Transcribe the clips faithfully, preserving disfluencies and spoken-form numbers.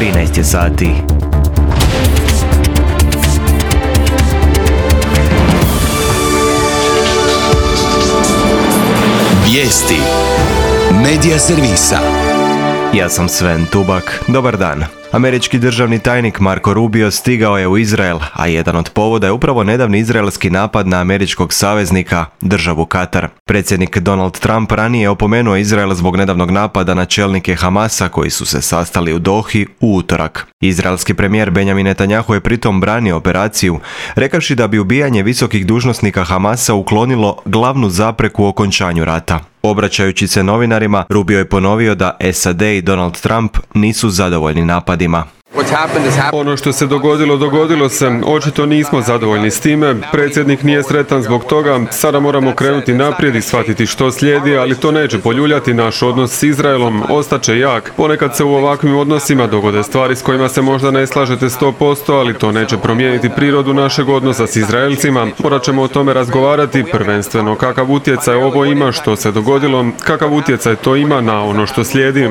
trinaest je sati. Vijesti Medija servisa. Ja sam Sven Tubak. Dobar dan. Američki državni tajnik Marco Rubio stigao je u Izrael, a jedan od povoda je upravo nedavni izraelski napad na američkog saveznika, državu Katar. Predsjednik Donald Trump ranije je opomenuo Izrael zbog nedavnog napada na čelnike Hamasa koji su se sastali u Dohi u utorak. Izraelski premijer Benjamin Netanjahu je pritom branio operaciju, rekavši da bi ubijanje visokih dužnosnika Hamasa uklonilo glavnu zapreku u okončanju rata. Obraćajući se novinarima, Rubio je ponovio da S A D i Donald Trump nisu zadovoljni napadima. Ono što se dogodilo, dogodilo se. Očito nismo zadovoljni s time. Predsjednik nije sretan zbog toga. Sada moramo krenuti naprijed i shvatiti što slijedi, ali to neće poljuljati naš odnos s Izraelom. Ostaće jak. Ponekad se u ovakvim odnosima dogode stvari s kojima se možda ne slažete sto posto, ali to neće promijeniti prirodu našeg odnosa s Izraelcima. Morat ćemo o tome razgovarati, prvenstveno kakav utjecaj ovo ima što se dogodilo, kakav utjecaj to ima na ono što slijedi.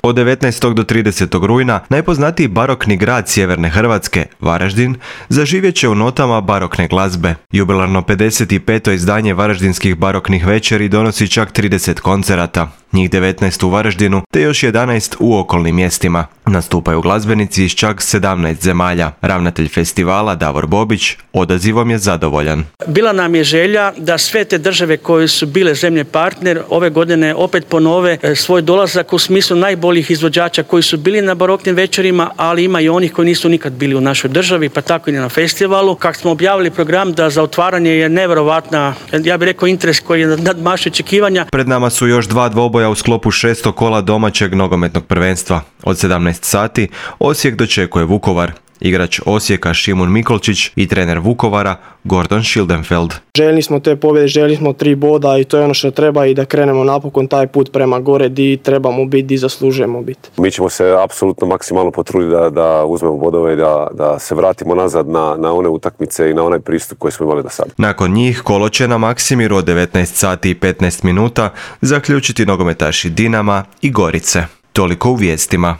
Od devetnaestog do tridesetog rujna najpoznatiji barokni grad sjeverne Hrvatske, Varaždin, zaživjet će u notama barokne glazbe. Jubilarno pedeset peto izdanje varaždinskih baroknih večeri donosi čak trideset koncerata, njih devetnaest u Varaždinu te još jedanaest u okolnim mjestima. Nastupaju glazbenici iz čak sedamnaest zemalja. Ravnatelj festivala Davor Bobić odazivom je zadovoljan. Bila nam je želja da sve te države koje su bile zemlje partner ove godine opet ponove svoj dolazak u smislu najboljih izvođača koji su bili na baroknim večerima, ali ima i onih koji nisu nikad bili u našoj državi, pa tako i na festivalu. Kako smo objavili program da za otvaranje je nevjerovatna, ja bih rekao, interes koji je nadmašio očekivanja. Pred nama su još dva dvoboja u sklopu šestog kola domaćeg nogometnog prvenstva. Od sedamnaest sati Osijek dočekuje Vukovar. Igrač Osijeka Šimun Mikolčić i trener Vukovara Gordon Schildenfeld. Željeli smo te pobjede, željeli smo tri boda i to je ono što treba i da krenemo napokon taj put prema gore di trebamo biti, di zaslužujemo biti. Mi ćemo se apsolutno maksimalno potruditi da, da uzmemo bodove i da, da se vratimo nazad na, na one utakmice i na onaj pristup koji smo imali do sada. Nakon njih kolo će na Maksimiru od devetnaest sati i petnaest minuta zaključiti nogometaši Dinama i Gorice. Toliko u vijestima.